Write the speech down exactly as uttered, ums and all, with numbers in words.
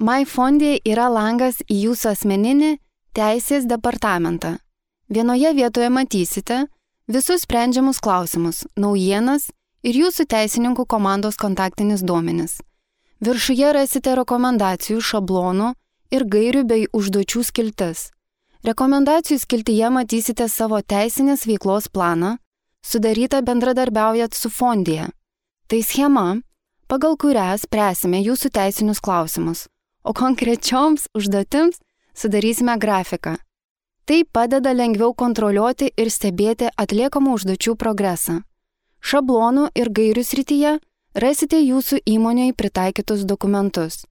MyFondė yra langas į jūsų asmeninį teisės departamentą. Vienoje vietoje matysite visus sprendžiamus klausimus, naujienas ir jūsų teisininkų komandos kontaktinis duomenis. Viršuje rasite rekomendacijų, šablonų ir gairių bei užduočių skiltis. Rekomendacijų skiltyje matysite savo teisinės veiklos planą, sudarytą bendradarbiaujat su Fondija. Tai schema, pagal kurią spręsime jūsų teisinius klausimus, o konkrečioms užduotims sudarysime grafiką. Tai padeda lengviau kontroliuoti ir stebėti atliekamų užduočių progresą. Šablonų ir gairių srityje rasite jūsų įmonėje pritaikytus dokumentus.